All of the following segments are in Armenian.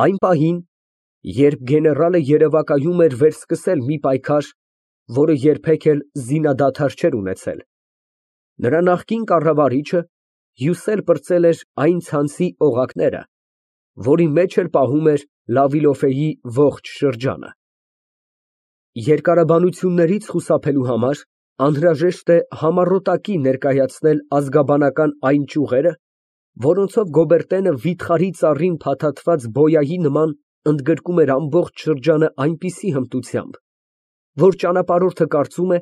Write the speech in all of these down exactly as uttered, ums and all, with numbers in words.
Այն պահին, երբ գեներալը երևակայում էր վերսկսել մի պայքար, որը երբեք էլ զինադադար չէր ունեցել, նրա նախկին կառավարիչը հյուսել պրծել էր այն ցանցի օղակները, որի մեջ էլ պահում էր Լավիլոֆեի ողջ շրջանը։ Երկարաբանություններից խուսափելու համար անհրաժեշտ է համառոտակի ներկայացնել ազգաբանական այն ճյուղերը, որոնցով Գոբերտենը վիթխարի ծառին փաթաթված բոյայի նման ընդգրկում էր ամբողջ շրջանը այնպիսի հմտությամբ, որ ճանապարհորդը կարծում է,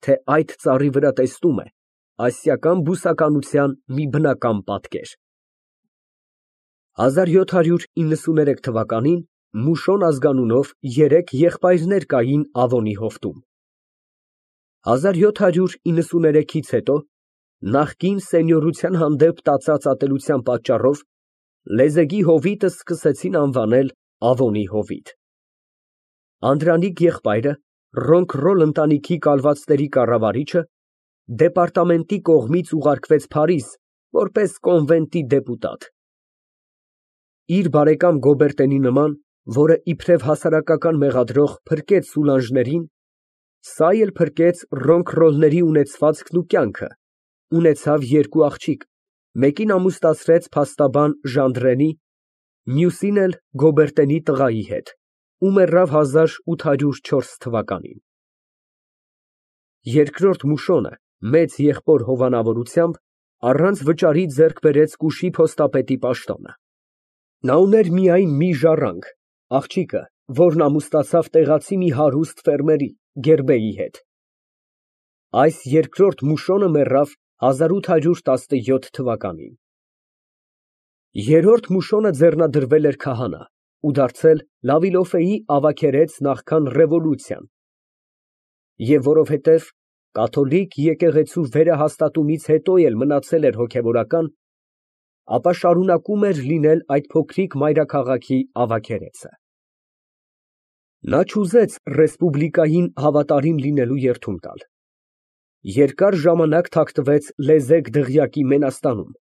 թե այդ ծառի վրա տեսնում է ասիական բուսականության մի բնական պատկեր։ հազար յոթ հարյուր իննսուներեք թվականին Մուշոն ազգանունով երեք եղբայրներ կային Ավոնի հովտում։ հազար յոթ հարյուր իննսուներեքից հետո նախկին սենյորության հանդեպ տածած ատելության պատճառով լեզեգի հովիտը սկսեցին անվանել Ավոնի հովիտ։ Անդրանիկ եղբայրը, Ռոնքռոլ ընտանիքի կալվածների կառավարիչը, դեպարտամենտի կողմից ուղարկվեց Փարիզ որպես կոնվենտի դեպուտատ։ Իր բարեկամ Գոբերտենի նման, որը իբրև հասարակական մեղադրող փրկեց Սուլանժներին, սա էլ փրկեց Ռոնքռոլների ունեցվածքն ու կյանքը, ունեցավ երկու աղջիկ, մեկին ամուսնացրեց փաստաբան Ժանդրենի, մյուսին էլ Գոբերտենի տղայի հետ, ու մեռավ հազար ութ հարյուր չորս թվականին։ Երկրորդ Մուշոնը մեծ եղբոր հովանավորությամբ առանց վճարի ձեռք բերեց Կուշի փոստապետի պաշտոնը։ Նա ուներ միայն մի ժառանգ, աղջիկը, որն ամուսնացավ տեղացի մի հարուստ ֆերմերի՝ Գերբեի հետ։ Այս երկրորդ Մուշոնը մեռավ հազար ութ հարյուր տասնյոթ թվականին։ Երրորդ Մուշոնը ձեռնադրվել էր քահանա ու դարձել Լավիլոֆեի ավագերեց նախքան ռևոլյուցիան, և որովհետև կաթոլիկ եկեղեցու վերահաստատումից հետո էլ մնացել էր հոգևորական, ապա շարունակում էր լինել այդ փոքրիկ մայրաքաղաքի ավագերեցը։ Նա չուզեց ռեսպուբլիկային հավատարիմ լինելու երդում տալ։ Երկար ժամանակ թաքնվեց Լեզեկ Դղյակի Մենաստանում,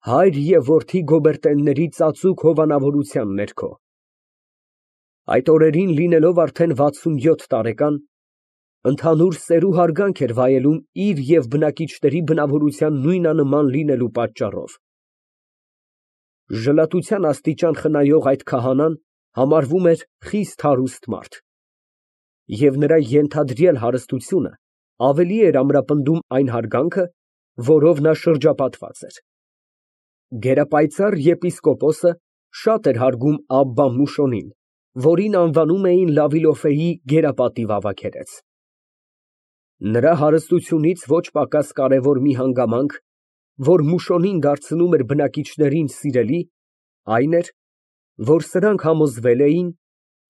հայր և որդի Գոբերտենների ծածուկ հովանավորության ներքո։ Այդ օրերին լինելով արդեն վաթսունյոթ տարեկան, ընդհանուր սեր ու հարգանք էր վայելում իր և բնակիչների բնավորության նույնանման լինելու պատճառով։ Ժլատության աստիճան խնայող այդ քահանան համարվում էր խիստ հարուստ մարդ, և նրա ենթադրյալ հարստությունը ավելի էր ամրապնդում այն հարգանքը, որով նա շրջապատված էր։ Գերապայծառ եպիսկոպոսը շատ էր հարգում Աբբա Մուշոնին, որին անվանում էին Լավիլոֆեի գերապատիվ ավագերեց։ Նրա հարստությունից ոչ պակաս կարևոր մի հանգամանք, որ Մուշոնին դարձնում էր բնակիչներին սիրելի, այն էր, որ սրանք համոզվել էին,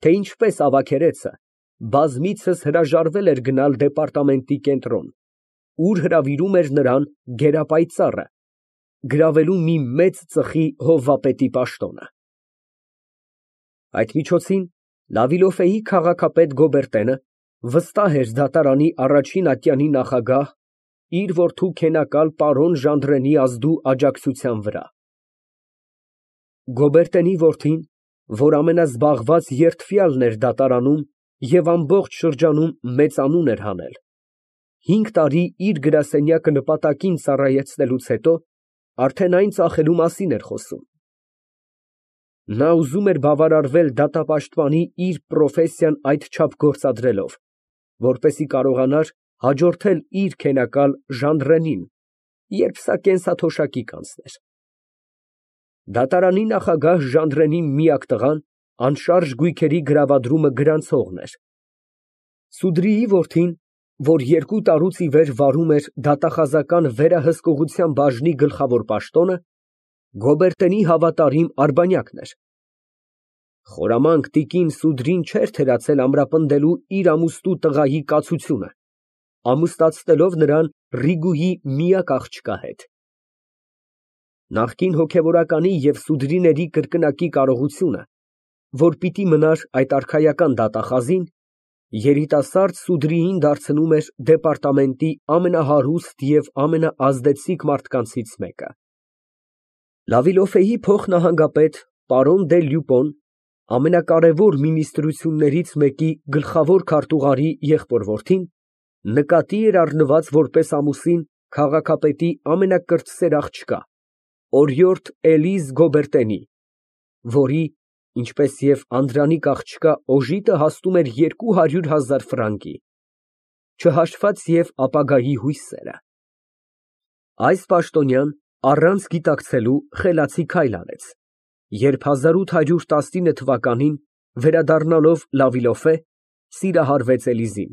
թե ինչպես ավագերեցը բազմիցս հրաժարվել էր գնալ դեպարտամենտի կենտրոն, ուր հրավիրում էր նրան գերապայծառը, գրավելու մի մեծ ծխի հովվապետի պաշտոնը։ Այդ միջոցին Լավիլոֆեի քաղաքապետ Գոբերտենը վստահ էր դատարանի առաջին ատյանի նախագահ իր որդու քենակալ պարոն Ժանդրենի ազդու աջակցության վրա։ Գոբերտենի որդին, որ ամենազբաղված երդվյալն էր դատարանում և ամբողջ շրջանում մեծ անուն էր հանել, հինգ տարի իր գրասենյակը նպատակին ծառայեցնելուց հետո արդեն այն ծախելու մասին էր խոսում։ Նա ուզում էր բավարարվել դատապաշտպանի իր պրոֆեսիան այդչափ գործադրելով, որպեսզի կարողանար հաջորդել իր քենակալ Ժանդրենին, երբ սա կենսաթոշակի կանցներ։ Դատարանի նախագահ Ժանդրենի միակ տղան անշարժ գույքերի գրավադրումը գրանցողն էր։ Սուդրիի որդին, որ երկու տարուց ի վեր վարում էր դատախազական վերահսկողության բաժնի գլխավոր պաշտոնը, Գոբերտենի հավատարիմ արբանյակն էր։ Խորամանկ տիկին Սուդրին չէր թերացել ամրապնդելու իր ամուսնու տղայի կացությունը, ամուսնացնելով նրան Ռիգուհի միակ աղջկա հետ։ Նախկին հոգևորականի և Սուդրիների կրկնակի կարողությունը, որ պիտի մնար այդ արքայական դատախազին, երիտասարդ Սուդրիին դարձնում էր դեպարտամենտի ամենահարուստ և ամենաազդեցիկ մարդկանցից մեկը։ Լավիլոֆեի փոխնահանգապետ պարոն դե Լյուպոն, ամենակարևոր մինիստրություններից մեկի գլխավոր քարտուղարի եղբոր֊որդին, նկատի էր առնված որպես ամուսին քաղաքապետի ամենակրտսեր աղջկա, օրիորդ Էլիզը Գոբերտենի, որի, ինչպես և անդրանիկ աղջկա օժիտը հասնում էր երկու հարյուր հազար ֆրանկի, չհաշված և ապագայի հույսերը։ Այս պաշտոնյան առանց գիտակցելու խելացի քայլ արեց, երբ հազար ութ հարյուր տասնինը թվականին, վերադառնալով Լավիլոֆե, սիրահարվեց Էլիզին։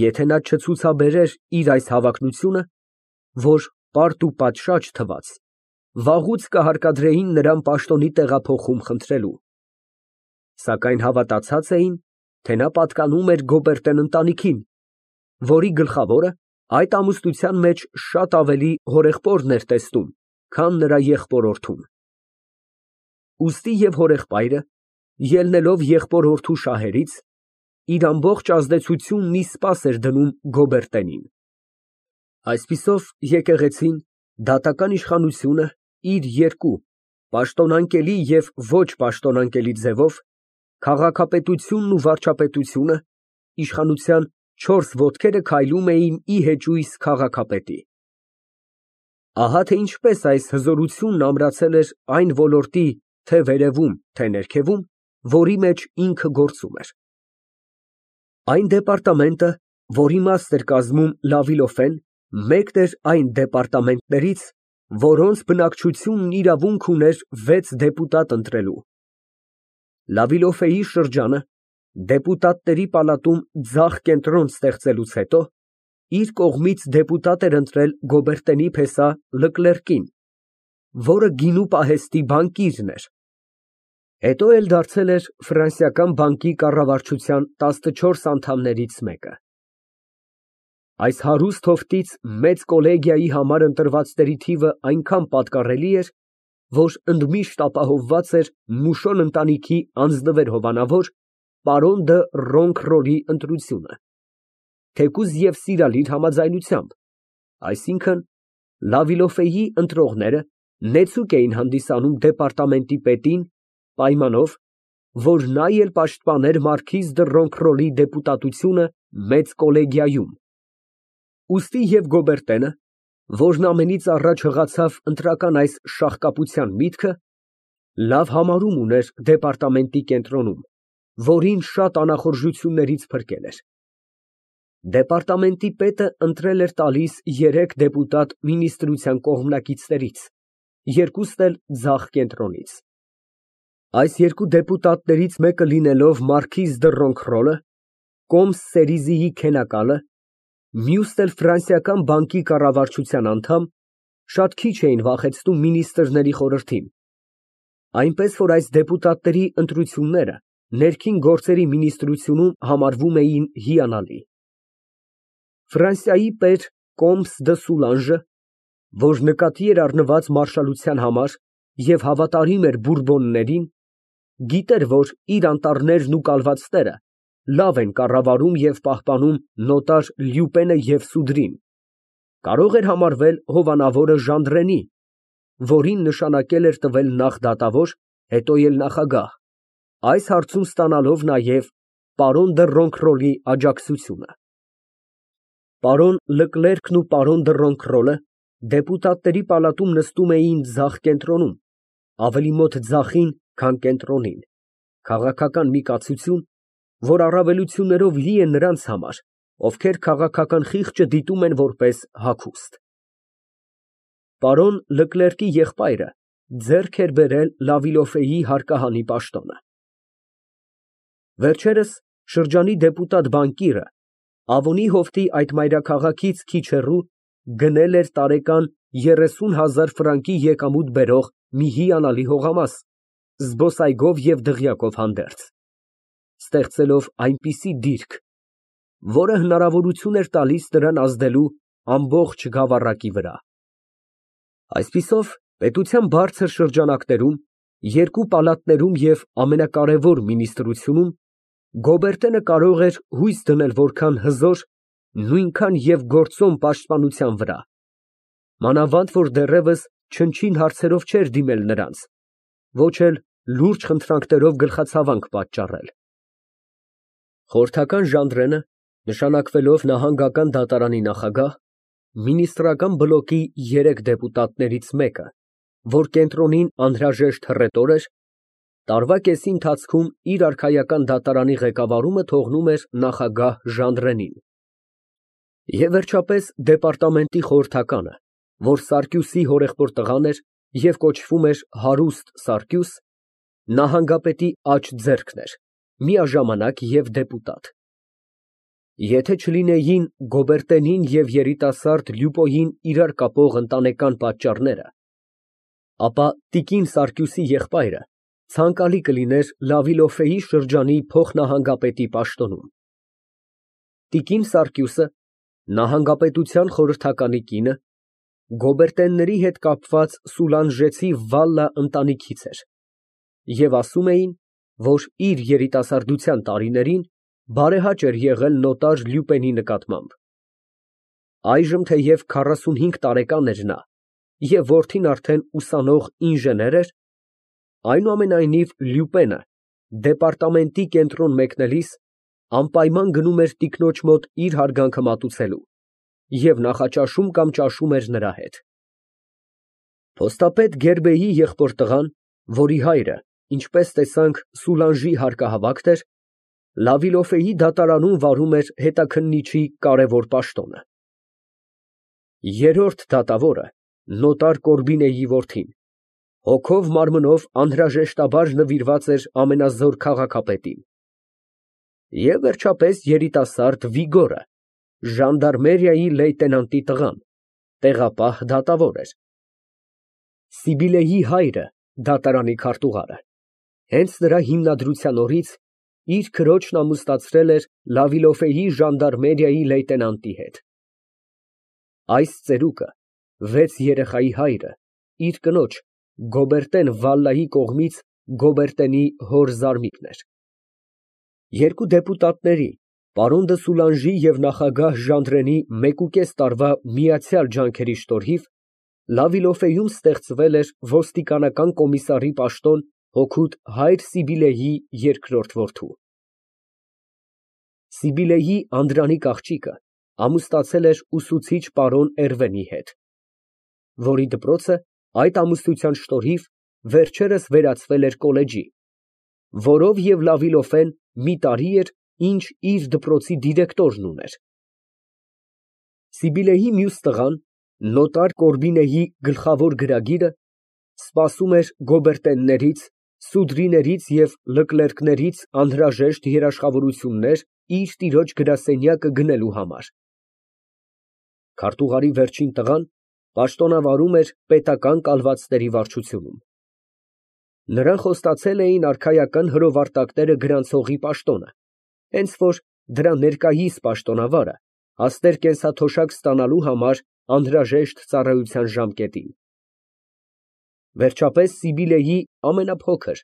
Եթե նա չցուցաբերեր իր այս հավակնությունը, որ պարտ ու պատշաճ թվաց, վաղուց կհարկադրեին նրան պաշտոնի տեղափոխում խնդրելու, սակայն հավատացած էին, թե նա պատկանում էր Գոբերտեն ընտանիքին, որի գլխավորը այդ ամուսնության մեջ շատ ավելի հորեղբորն էր տեսնում, քան նրա եղբոր֊որդուն։ Ուստի և հորեղբայրը, ելնելով եղբոր֊որդու շահերից, իր ամբողջ ազդեցությունն ի սպաս էր դնում Գոբերտենին։ Այսպիսով, եկեղեցին, դատական իշխանությունը իր երկու, պաշտոնանկելի և ոչ պաշտոնանկելի ձևով, քաղաքապետությունն ու վարչապետությունը, իշխանության չորս ոտքերը քայլում էին ի հեճույս քաղաքապետի։ Ահա թե ինչպես այս հզորությունն ամրացել էր այն ոլորտի թե՛ վերևում, թե՛ ներքևում, որի մեջ ինքը գործում էր։ Այն դեպարտամենտը, որի մասն էր կազմում Լավիլոֆեն, մեկն էր այն դեպարտամենտներից, որոնց բնակչությունն իրավունք ուներ վեց դեպուտատ ընտրելու։ Լավիլոֆեի շրջանը, դեպուտատների պալատում ձախ կենտրոն ստեղծելուց հետո, իր կողմից դեպուտատ էր ընտրել Գոբերտենի փեսա Լկլերկին, որը գինու պահեստի բանկիրն էր, հետո էլ դարձել էր ֆրանսիական բանկի կառավարչության տասնչորս անդամներից մեկը։ Այս հարուստ հովտից մեծ կոլեգիայի համար ընտրվածների թիվը այնքան պատկառելի էր, որ ընդմիշտ ապահովված էր Մուշոն ընտանիքի անձնվեր հովանավոր պարոն դը Ռոնքրոլի ընտրությունը, թեկուզ և սիրալիր համաձայնությամբ, այսինքն՝ Լավիլոֆեի ընտրողները նեցուկ էին հանդիսանում դեպարտամենտի պետին, պայմանով, որ նա էլ պաշտպաներ մարքիզ դը Ռոնքրոլի դեպուտատությունը մեծ կոլեգիայում։ Ուստի և Գոբերտենը, որն ամենից առաջ հղացավ ընտրական այս շաղկապության միտքը, լավ համարում ուներ դեպարտամենտի կենտրոնում, որին շատ անախորժություններից փրկել էր։ Դեպարտամենտի պետը ընտրել էր տալիս երեք դեպուտատ մինիստրության կողմնակիցներից, երկուսն էլ ձախ կենտրոնից։ Այս երկու դեպուտատներից մեկը լինելով մարքիզ դը Ռոնքրոլը, կոմս Սերիզիի քենակալը, մյուսն էլ ֆրանսիական բանկի կառավարչության անդամ, շատ քիչ էին վախեցնում մինիստրների խորհրդին, այնպես որ այս դեպուտատների ընտրությունները ներքին գործերի մինիստրությունում համարվում էին հիանալի։ Ֆրանսիայի պեր կոմս դը Սուլանժը, որ նկատի էր առնված մարշալության համար և հավատարիմ էր Բուրբոններին, գիտեր, որ իր անտառներն ու կալվածները լավ են կառավարում և պահպանում նոտար Լյուպենը և Սուդրին, կարող էր համարվել հովանավորը Ժանդրենի, որին նշանակել էր տվել նախ դատավոր, հետո էլ նախագահ, այս հարցում ստանալով նաև պարոն դը Ռոնքրոլի աջակցությունը։ Պարոն Լկլերկն ու պարոն դը Ռոնքրոլը դեպուտատների պալատում նստում էին ձախ կենտրոնում, ավելի մոտ ձախին, քան կենտրոնին, քաղաքական մի կացություն, որ առավելություններով լի է նրանց համար, ովքեր քաղաքական խիղճը դիտում են որպես հագուստ։ Պարոն Լկլերկի եղբայրը ձեռք էր բերել Լավիլոֆեի հարկահանի պաշտոնը։ Վերջերս շրջանի դեպուտատ բանկիրը Ավոնի հովտի այդ մայրաքաղաքից քիչ հեռու գնել էր տարեկան երեսուն հազար ֆրանկի եկամուտ բերող մի հիանալի հողամաս, զբոսայգով և դղյակով հանդերձ, ստեղծելով այնպիսի դիրք, որը հնարավորություն էր տալիս նրան ազդելու ամբողջ գավառակի վրա։ Այսպիսով, պետության բարձր շրջանակներում, երկու պալատներում և ամենակարևոր մինիստրությունում Գոբերտենը կարող էր հույս դնել որքան հզոր, նույնքան և գործոն պաշտպանության վրա, մանավանդ որ դեռևս չնչին հարցերով չէր դիմել նրանց, ոչ էլ լուրջ խնդրանքներով գլխացավանք պատճառել։ Խորհրդական Ժանդրենը, նշանակվելով նահանգական դատարանի նախագահ, մինիստրական բլոկի երեք դեպուտատներից մեկը, որ կենտրոնին անհրաժեշտ հռետոր էր, տարվա կեսի ընթացքում իր արքայական դատարանի ղեկավարումը թողնում էր նախագահ Ժանդրենին։ Եվ վերջապես դեպարտամենտի խորհրդականը, որ Սարգիսի հորեղբոր տղան էր և կոչվում էր Հարուստ Սարգյուս, նահանգապետի աջ ձեռքն էր, միաժամանակ և դեպուտատ։ Եթե չլինեին Գոբերտենին և երիտասարդ Լյուպոյին իրար կապող ընտանեկան պատճառները, ապա տիկին Սարգիսի եղբայրը ցանկալի կլիներ Լավիլոֆեի շրջանի փոխնահանգապետի պաշտոնում։ Տիկին Սարգիսը, նահանգապետության խորհրդականի կինը, Գոբերտենների հետ կապված սուլանժեցի Վալլա ընտանիքից էր, և ասում էին, որ իր երիտասարդության տարիներին բարեհաճ էր եղել նոտար Լյուպենի նկատմամբ։ Այժմ թեև քառասունհինգ տարեկան էր նա և որդին արդեն ուսանող ինժեներ էր, այնուամենայնիվ Լյուպենը դեպարտամենտի կենտրոն մեկնելիս անպայման գնում էր տիկնոջ մոտ իր հարգանքը մատուցելու և նախաճաշում կամ ճաշում էր նրա հետ։ Փոստապետ Գերբեի եղբոր տղան, որի հայրը, ինչպես տեսանք, Սուլանժի հարկահավաքն էր, Լավիլոֆեի դատարանում վարում էր հետաքննիչի կարևոր պաշտոնը։ Երրորդ դատավորը նոտար Կորբինեի որդին, հոգով մարմնով անհրաժեշտաբար նվիրված էր ամենազոր քաղաքապետին։ Եվ վերջապես երիտասարդ Վիգորը, ժանդարմերիայի լեյտենանտի տղան, տեղապահ դատավոր էր։ Սիբիլեի հայրը, դատարանի քարտուղարը, հենց նրա հիմնադրության օրից իր քրոջն ամուսնացրել էր Լավիլոֆեի ժանդարմերիայի լեյտենանտի հետ։ Այս ծերուկը, վեց երեխայի հայրը, իր կնոջ Գոբերտեն Վալլայի կողմից Գոբերտենի հոր զարմիկն էր։ Երկու դեպուտատների, պարոն դը Սուլանժի և նախագահ Ժանդրենի մեկուկես տարվա միացյալ ջանքերի շնորհիվ Լավիլոֆեում ստեղծվել էր ոստիկանական կոմիսարի պաշտոն հօգուտ հայր Սիբիլեի երկրորդ որդու։ Սիբիլեի անդրանիկ աղջիկը ամուսնացել էր ուսուցիչ պարոն Էրվենի հետ, որի դպրոցը այդ ամուսնության շնորհիվ վերջերս վերածվել էր կոլեջի, որով և Լավիլոֆեն մի տարի էր, ինչ իր դպրոցի դիրեկտորն ուներ։ Սիբիլեի մյուս տղան, նոտար Կորբինեի գլխավոր գրագիրը, սպասում էր Գոբերտեններից, Սուդրիներից և Լկլերկներից անհրաժեշտ երաշխավորություններ իր տիրոջ գրասենյակը գնելու համար։ Քարտուղարի վերջին տղան պաշտոնավարում էր պետական կալվածների վարչությունում։ Նրան խոստացել էին արքայական հրովարտակները գրանցողի պաշտոնը, հենց որ դրա ներկայիս պաշտոնավարը հասներ կենսաթոշակ ստանալու համար անհրաժեշտ ծառայության ժամկետին։ Վերջապես Սիբիլեի ամենափոքր,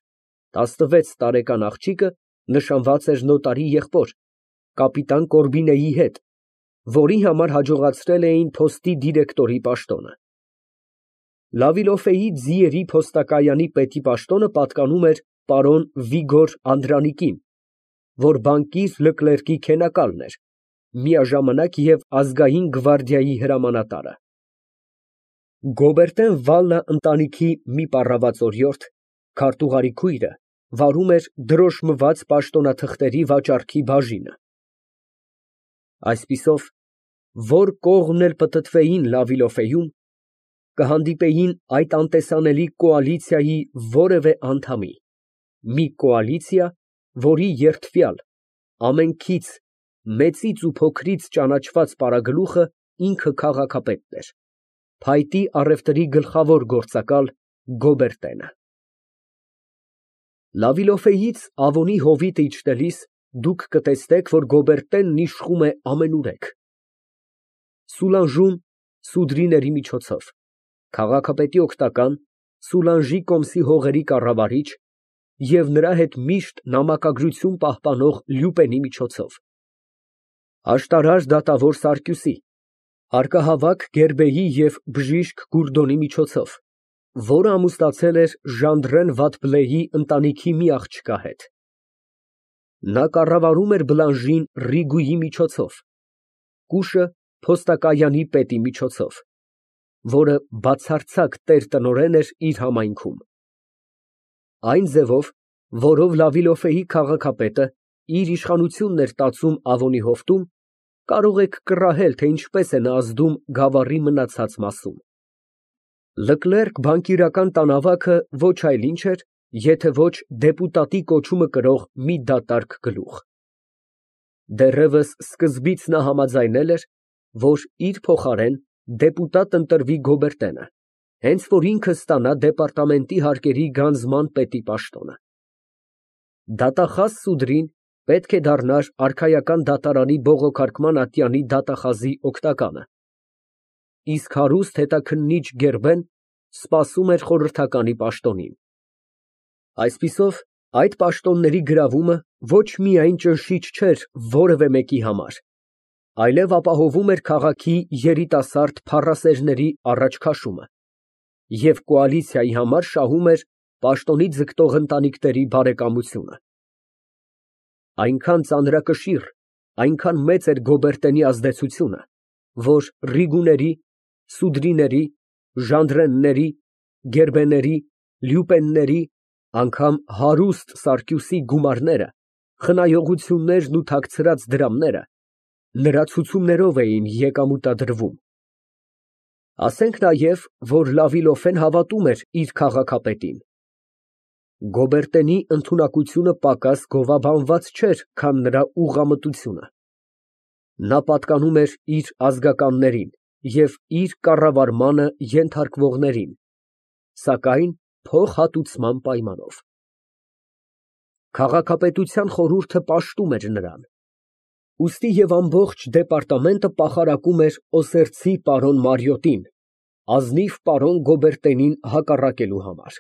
տասնվեց տարեկան աղջիկը նշանված էր նոտարի եղբոր, կապիտան Կորբինեի հետ, որի համար հաջողացրել էին փոստի դիրեկտորի պաշտոնը։ Լավիլոֆեի ձիերի փոստակայանի պետի պաշտոնը պատկանում էր պարոն Վիգոր Անդրանիկին, որ բանկիր Լկլերկի քենակալն էր, միաժամանակ և ազգային գվարդիայի հրամանատարը։ Գոբերտեն Վալլա ընտանիքի մի պառաված օրիորդ, քարտուղարի քույրը, վարում էր դրոշմված պաշտոնաթղթերի վաճառքի բաժինը։ Այսպիսով, որ կողմն էլ պտտվեին Լավիլոֆեում, կհանդիպեին այդ անտեսանելի կոալիցիայի որևէ անդամի, մի կոալիցիա, որի երդվյալ, ամենքից, մեծից ու փոքրից ճանաչված պարագլուխը ինքը քաղաքապետն էր, փայտի առևտրի գլխավոր գործակալ Գոբերտենը։ Լավիլոֆեից Ավոնի հովիտը իջնելիս դուք կտեսնեք, որ Գոբերտենն իշխում է ամենուրեք։ Սուլանժում Սուդրիների միջոցով, քաղաքապետի օգնական, Սուլանժի կոմսի հողերի կառավարիչ և նրա հետ միշտ նամակագրություն պահպանող Լյուպենի միջոցով, աշտարար դատավոր Սարգիսի, հարկահավաք Գերբեի և բժիշկ Գուրդոնի միջոցով, որը ամուսնացել էր Ժանդրեն Վատբլեի ընտանիքի մի աղջկա հետ։ Նա կառավարում էր Բլանժին Ռիգուի միջոցով, կուշը փոստակայանի պետի միջոցով, որը բացարձակ տեր֊տնօրեն էր իր համայնքում։ Այն ձևով, որով Լավիլոֆեի քաղաքապետը իր իշխանությունն էր տածում Ավոնի հովտում, կարող եք կռահել, թե ինչպես է նա ազդում գավառի մնացած մասում։ Լկլերկ բանկիրական տանավակը ոչ այլ ինչ էր, եթե ոչ դեպուտատի կոչումը կրող մի դատարկ գլուխ։ Դեռևս սկզբից նա համաձայնել էր, որ իր փոխարեն դեպուտատ ընտրվի Գոբերտենը, հենց որ ինքը ստանա դեպարտամենտի հարկերի գանձման պետի պաշտոնը։ Դատախազ Սուդրին պետք է դառնար արքայական դատարանի բողոքարկման ատյանի դատախազի օգնականը, իսկ հարուստ հետաքննիչ Գերբեն սպասում էր խորհրդականի պաշտոնին։ Այսպիսով, այդ պաշտոնների գրավումը ոչ միայն ճնշիչ չէր որևէ մեկի համար, այլև ապահովում էր քաղաքի երիտասարդ փառասերների առաջ քաշումը և կոալիցիայի համար շահում էր պաշտոնի ձգտող ընտանիքների բարեկամությունը։ Այնքան ծանրակշիռ, այնքան մեծ էր Գոբերտենի ազդեցությունը, որ Ռիգուների, Սուդրիների, Ժանդրենների, Գերբեների, Լյուպենների, անգամ հարուստ Սարկյուսի գումարները, խնայողություններն ու թաքցրած դրամները նրա ցուցումներով էին եկամուտադրվում։ Ասենք նաև, որ Լավիլոֆեն հավատում էր իր քաղաքապետին։ Գոբերտենի ընդունակությունը պակաս գովաբանված չէր, քան նրա ուղղամտությունը։ Նա պատկանում էր իր ազգականներին և իր կառավարմանը ենթարկվողներին, սակայն փոխհատուցման պայմանով։ Քաղաքապետության խորհուրդը պաշտում էր նրան, ուստի և ամբողջ դեպարտամենտը պախարակում էր Օսերցի պարոն Մարիոտին, ազնիվ պարոն Գոբերտենին հակառակելու համար։